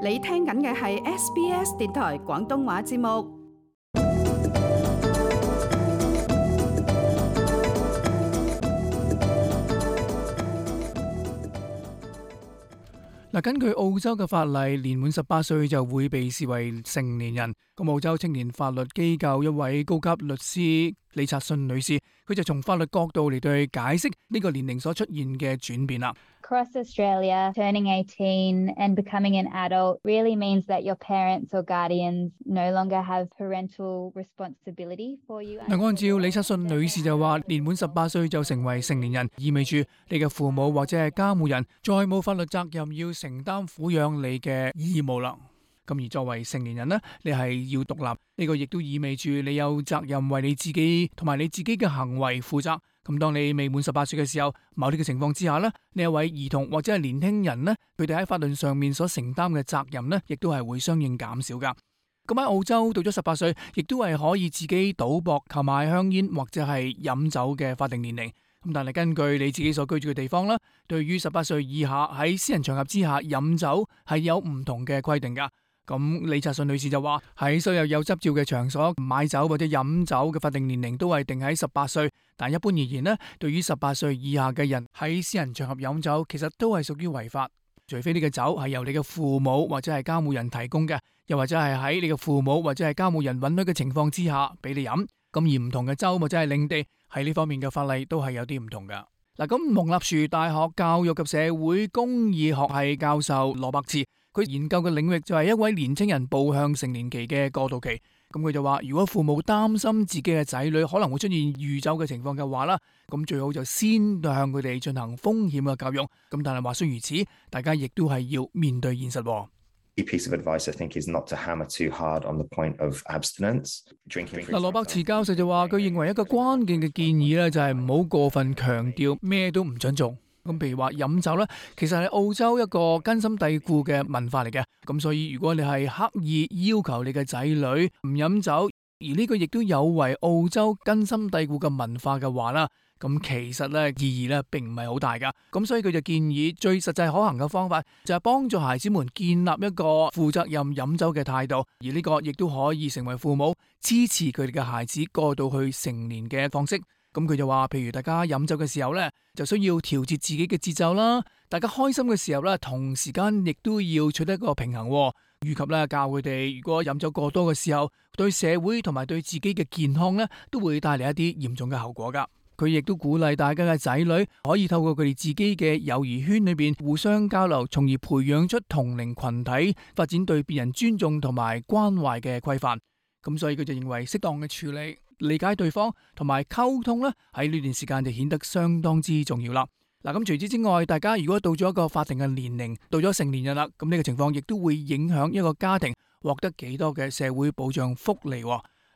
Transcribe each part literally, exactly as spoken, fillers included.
你聽緊嘅係 S B S 電台廣東話節目。嗱，根據澳洲嘅法例，年滿十八歲就會被視為成年人。咁澳洲青年法律機構一位高級律師李察信女士，佢就從法律角度嚟對解釋呢個年齡所出現嘅轉變啦。Across Australia, turning eighteen and becoming an adult really means that your parents or guardians no longer have parental responsibility for you. 嗱，按照李察信女士就話，年滿十八歲就成為成年人，意味住你嘅父母或者係監護人再冇法律責任要承擔撫養你嘅義務啦。咁而作為成年人呢，你係要獨立，呢個亦都意味住你有責任為你自己同埋你自己嘅行為負責。咁當你未滿十八歲嘅時候，某啲嘅情況之下呢，呢一位兒童或者係年輕人呢，佢哋喺法律上面所承擔嘅責任呢，亦都係會相應減少噶。咁喺澳洲到咗十八歲，亦都係可以自己賭博、購買香煙或者係飲酒嘅法定年齡。咁但係根據你自己所居住嘅地方啦，對於十八歲以下喺私人場合之下飲酒係有唔同嘅規定噶。咁李察信女士就話，喺所有有執照嘅場所買酒或者飲酒嘅法定年齡都係定喺十八歲，但一般而言呢，對於十八歲以下嘅人喺私人場合飲酒，其實都係屬於違法，除非呢個酒係由你嘅父母或者係監護人提供嘅，又或者係喺你嘅父母或者係監護人允許嘅情況之下俾你飲。咁而唔同嘅州或者係領地喺呢方面嘅法例都係有啲唔同噶。嗱，咁蒙納殊大學教育及社會公義學系教授羅伯茨，佢研究嘅領域就係一位年青人步向成年期嘅過渡期。咁佢就話，如果父母擔心自己嘅仔女可能會出現酗酒嘅情況嘅話啦，咁最好就先向佢哋進行風險嘅教育。咁但係話雖如此，大家亦都係要面對現實。Key piece of advice, I think, is not to hammer too hard on the point of abstinence. Drinking. 嗱，羅伯茨教授就話，佢認為一個關鍵嘅建議咧，就係唔好過分強調咩都唔准做。咁譬如話飲酒咧，其實係澳洲一個根深蒂固嘅文化嚟嘅。咁所以如果你係刻意要求你嘅仔女唔飲酒，而呢個亦都有違澳洲根深蒂固嘅文化嘅話啦，咁其實咧意義咧並唔係好大噶。咁所以佢就建議最實際可行嘅方法就係幫助孩子們建立一個負責任飲酒嘅態度，而呢個亦都可以成為父母支持佢哋嘅孩子過渡去成年嘅方式。咁佢就話，譬如大家飲酒嘅時候咧，就需要調節自己嘅節奏啦。大家開心嘅時候咧，同時間亦都要取得一個平衡，以及咧教佢哋，如果飲酒過多嘅時候，對社會同埋對自己嘅健康咧，都會帶嚟一啲嚴重嘅後果噶。佢亦都鼓勵大家嘅仔女可以透過佢哋自己嘅友誼圈裏邊互相交流，從而培養出同齡群體，發展對別人尊重同埋關懷嘅規範。咁所以佢就認為適當嘅處理、理解對方同埋溝通咧，喺呢段時間就顯得相當之重要啦。嗱，咁除此之外，大家如果到咗一個法定嘅年齡，到咗成年人啦，咁呢個情況亦都會影響一個家庭獲得幾多嘅社會保障福利。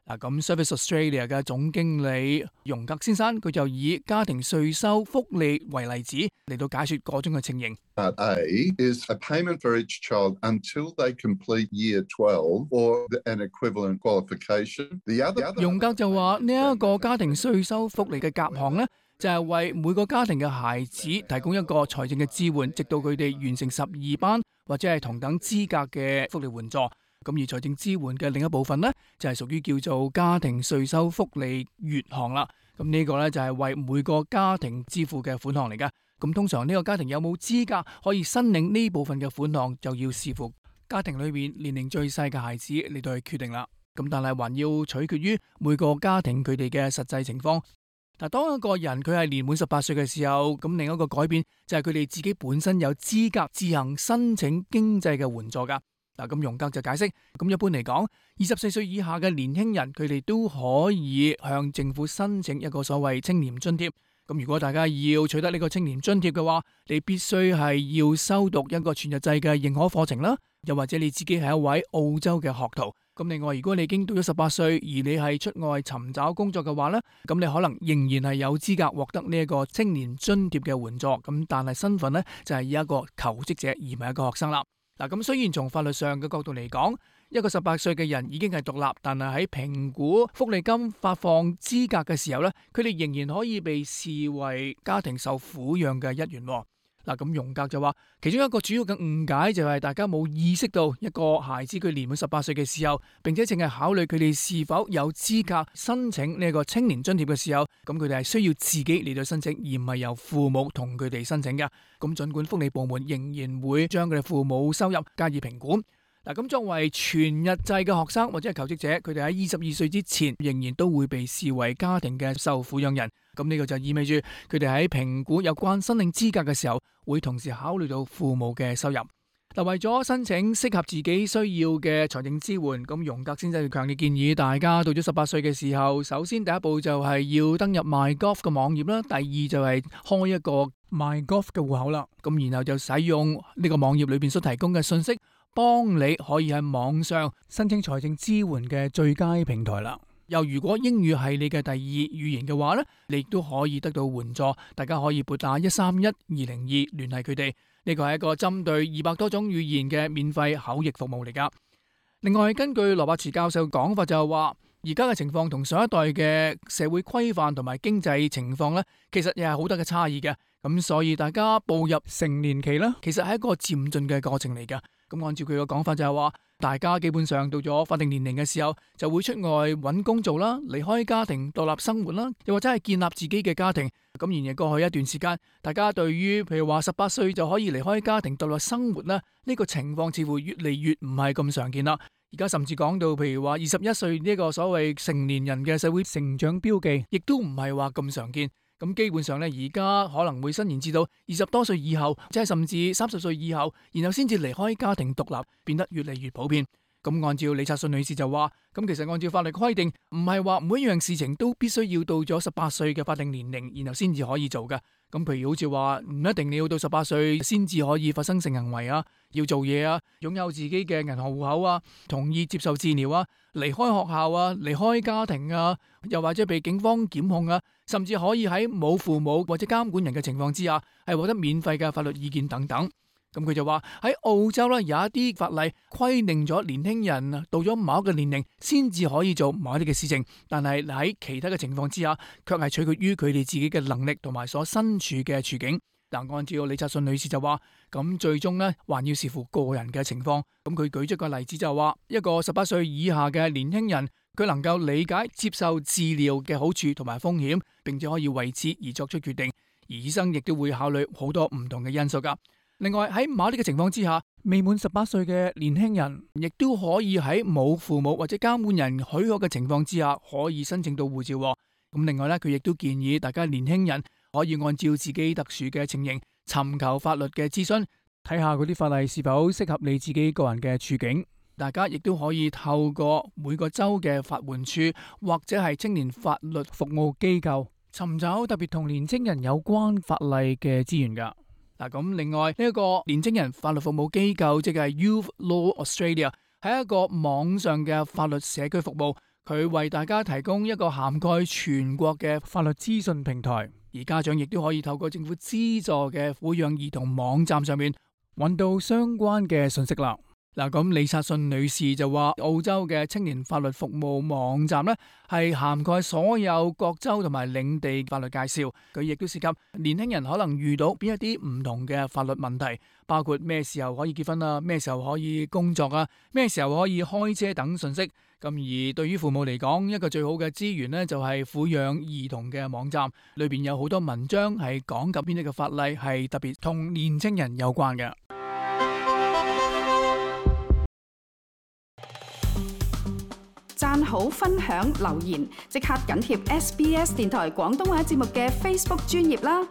嗱，咁 Service Australia 嘅總經理容格先生，佢就以家庭稅收福利為例子嚟到解說各種嘅情形。Part A is a payment for each child until they complete year twelve or an equivalent qualification. The other 容格就話呢一個家庭稅收福利嘅夾項呢，就係為每個家庭嘅孩子提供一個財政嘅支援，直到佢哋完成十二班或者係同等資格嘅福利援助。咁而財政支援嘅另一部分呢，就係屬於叫做家庭稅收福利月項啦。咁呢個呢，就係為每個家庭支付嘅款項嚟㗎。咁通常呢個家庭有冇資格可以申領呢部分嘅款項，就要視乎家庭裏面年齡最細嘅孩子嚟到去決定啦。咁但係還要取決於每個家庭佢哋嘅實際情況。嗱，當一個人佢係年滿十八歲嘅時候，咁另一個改變就係佢哋自己本身有資格自行申請經濟嘅援助㗎。嗱，咁容格就解釋，咁一般嚟講，二十四歲以下嘅年輕人，佢哋都可以向政府申請一個所謂青年津貼。咁如果大家要取得呢個青年津貼嘅話，你必須係要修讀一個全日制嘅認可課程啦，又或者你自己係一位澳洲嘅學徒。咁另外，如果你已經到咗十八歲，而你係出外尋找工作嘅話呢，咁你可能仍然係有資格獲得呢一個青年津貼嘅援助。咁但係身份呢，就係以一個求職者而唔係一個學生啦。嗱，咁雖然從法律上嘅角度嚟講，一個十八歲嘅人已經係獨立，但係喺評估福利金發放資格嘅時候咧，佢哋仍然可以被視為家庭受撫養嘅一員。嗱，嗱，咁榮格就話，其中一個主要嘅誤解就係大家冇意識到一個孩子佢年滿十八歲嘅時候，並且淨係考慮佢哋是否有資格申請呢個青年津貼嘅時候，咁佢哋係需要自己嚟到申請，而唔係由父母同佢哋申請嘅。咁盡管福利部門仍然會將佢哋父母收入加以評估。嗱，咁作為全日制嘅學生或者係求職者，佢哋喺二十二歲之前仍然都會被視為家庭嘅受撫養人。咁呢個就意味住佢哋喺評估有關申領資格嘅時候，會同時考慮到父母嘅收入。嗱，為咗申請適合自己需要嘅財政支援，咁榮格先生強烈建議大家到咗十八歲嘅時候，首先第一步就係要登入 MyGov 嘅網頁啦，第二就係開一個 MyGov 嘅戶口啦。咁然後就使用呢個網頁裏邊所提供嘅信息，幫你可以喺網上申請財政支援嘅最佳平台啦。又如果英語係你嘅第二語言嘅話呢，你亦都可以得到援助。大家可以撥打一三一二零二聯繫佢哋。呢個係一個針對二百多種語言嘅免費口譯服務嚟噶。另外，根據羅伯茨教授講法就係話，而家嘅情況同上一代嘅社會規範同埋經濟情況呢，其實又係好大嘅差異嘅。咁所以大家步入成年期呢，其實係一個漸進嘅過程嚟噶。咁按照佢嘅講法就係話，大家基本上到咗法定年齡嘅時候，就會出外揾工做啦，離開家庭獨立生活啦，又或者係建立自己嘅家庭。咁然而過去一段時間，大家對於譬如話十八歲就可以離開家庭獨立生活啦，呢個情況似乎越嚟越唔係咁常見啦。而家甚至講到譬如話二十一歲呢個所謂成年人嘅社會成長標記，亦都唔係話咁常見。咁基本上咧，而家可能會伸延至到二十多歲以後，即係甚至三十歲以後，然後先至離開家庭獨立，變得越嚟越普遍。咁按照李察信女士就話，咁其實按照法律規定，唔係話每一樣事情都必須要到咗十八歲嘅法定年齡，然後先至可以做嘅。咁譬如好似話，唔一定你要到十八歲先至可以發生性行為啊，要做嘢啊，擁有自己嘅銀行戶口啊，同意接受治療啊，離開學校啊，離開家庭啊，又或者被警方檢控啊，甚至可以喺冇父母或者監管人嘅情況之下，係獲得免費嘅法律意見等等。咁佢就話喺澳洲咧，有一啲法例規定咗年輕人到咗某一個年齡先至可以做某一啲嘅事情，但係喺其他嘅情況之下，卻係取決於佢哋自己嘅能力同埋所身處嘅處境。嗱，按照李察信女士就話，咁最終呢，還要視乎個人嘅情況。咁佢舉出個例子就話，一個十八歲以下嘅年輕人，佢能夠理解接受治療嘅好處同埋風險，並且可以為此而作出決定。而醫生亦都會考慮好多唔同嘅因素噶。另外喺某啲嘅情況之下，未滿十八歲嘅年輕人亦都可以喺冇父母或者監護人許可嘅情況之下，可以申請到護照。咁另外咧，佢亦都建議大家年輕人可以按照自己特殊嘅情形，尋求法律嘅諮詢，睇下嗰啲法例是否適合你自己個人嘅處境。大家亦都可以透過每個州嘅法援處或者係青年法律服務機構，尋找特別同年青人有關法例嘅資源噶。嗱，咁另外呢一個年青人法律服務機構，即係 Youth Law Australia， 係一個網上嘅法律社區服務，佢為大家提供一個涵蓋全國嘅法律資訊平台，而家長亦都可以透過政府資助嘅撫養兒童網站上面揾到相關嘅信息啦。嗱，咁李察信女士就話，澳洲嘅青年法律服務網站呢，係涵蓋所有各州同埋領地法律介紹，佢亦都涉及年輕人可能遇到邊一啲唔同嘅法律問題，包括咩時候可以結婚啊，咩時候可以工作啊，咩時候可以開車等信息。咁而對於父母嚟講，一個最好嘅資源呢，就係撫養兒童嘅網站，裏邊有好多文章係講及邊啲嘅法例係特別同年青人有關嘅。讚好、分享、留言，即刻緊貼 S B S 電台廣東話節目嘅 Facebook 專頁啦！